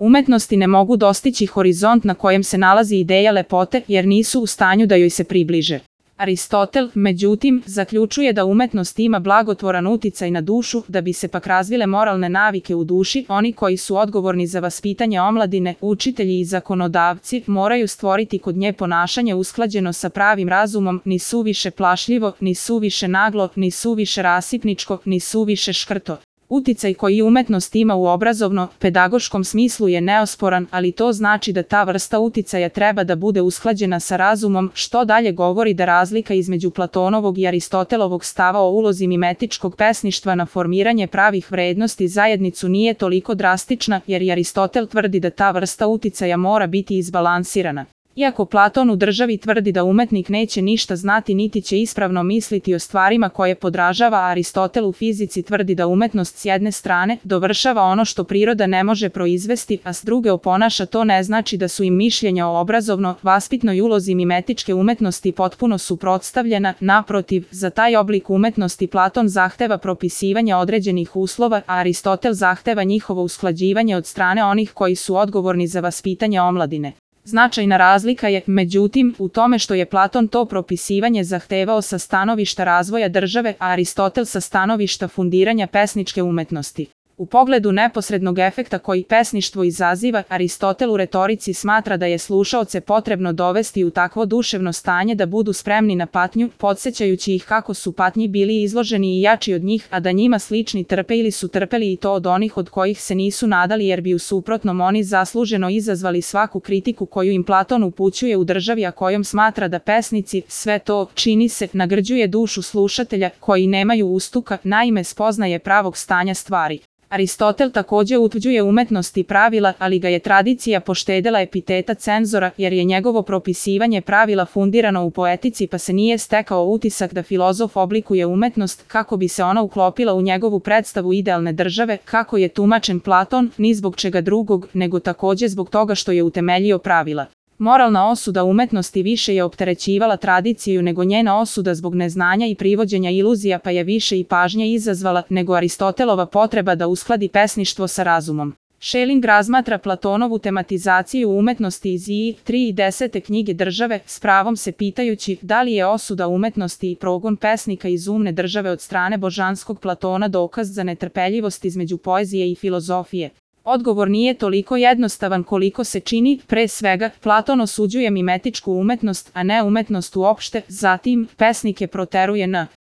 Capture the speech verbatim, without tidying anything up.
Umetnosti ne mogu dostići horizont na kojem se nalazi ideja lepote, jer nisu u stanju da joj se približe. Aristotel, međutim, zaključuje da umetnost ima blagotvoran uticaj na dušu, da bi se pak razvile moralne navike u duši, oni koji su odgovorni za vaspitanje omladine, učitelji i zakonodavci, moraju stvoriti kod nje ponašanje usklađeno sa pravim razumom, ni suviše plašljivo, ni suviše naglo, ni suviše rasipničko, ni suviše škrto. Uticaj koji umetnost ima u obrazovno-pedagoškom smislu je neosporan, ali to znači da ta vrsta uticaja treba da bude usklađena sa razumom, što dalje govori da razlika između Platonovog i Aristotelovog stava o ulozi mimetičkog pesništva na formiranje pravih vrednosti zajednicu nije toliko drastična, jer i Aristotel tvrdi da ta vrsta uticaja mora biti izbalansirana. Iako Platon u Državi tvrdi da umetnik neće ništa znati niti će ispravno misliti o stvarima koje podražava, a Aristotel u fizici tvrdi da umetnost s jedne strane dovršava ono što priroda ne može proizvesti, a s druge oponaša, to ne znači da su im mišljenja o obrazovno-vaspitnoj ulozi mimetičke umetnosti potpuno suprotstavljena. Naprotiv, za taj oblik umetnosti Platon zahteva propisivanje određenih uslova, a Aristotel zahteva njihovo usklađivanje od strane onih koji su odgovorni za vaspitanje omladine. Značajna razlika je, međutim, u tome što je Platon to propisivanje zahtevao sa stanovišta razvoja države, a Aristotel sa stanovišta fundiranja pesničke umetnosti. U pogledu neposrednog efekta koji pesništvo izaziva, Aristotel u retorici smatra da je slušaoce potrebno dovesti u takvo duševno stanje da budu spremni na patnju, podsjećajući ih kako su patnji bili izloženi i jači od njih, a da njima slični trpe ili su trpeli i to od onih od kojih se nisu nadali, jer bi u suprotnom oni zasluženo izazvali svaku kritiku koju im Platon upućuje u Državi, a kojom smatra da pesnici, sve to, čini se, nagrđuje dušu slušatelja, koji nemaju ustuka, naime spoznaje pravog stanja stvari. Aristotel također utvrđuje umetnost i pravila, ali ga je tradicija poštedela epiteta cenzora, jer je njegovo propisivanje pravila fundirano u poetici, pa se nije stekao utisak da filozof oblikuje umetnost kako bi se ona uklopila u njegovu predstavu idealne države, kako je tumačen Platon, ni zbog čega drugog, nego također zbog toga što je utemeljio pravila. Moralna osuda umetnosti više je opterećivala tradiciju nego njena osuda zbog neznanja i privođenja iluzija, pa je više i pažnje izazvala nego Aristotelova potreba da uskladi pesništvo sa razumom. Schelling razmatra Platonovu tematizaciju umetnosti iz I tri i desete knjige Države, s pravom se pitajući da li je osuda umetnosti i progon pesnika iz umne države od strane božanskog Platona dokaz za netrpeljivost između poezije i filozofije. Odgovor nije toliko jednostavan koliko se čini. Pre svega, Platon osuđuje mimetičku umetnost, a ne umetnost uopšte, zatim, pesnike proteruje na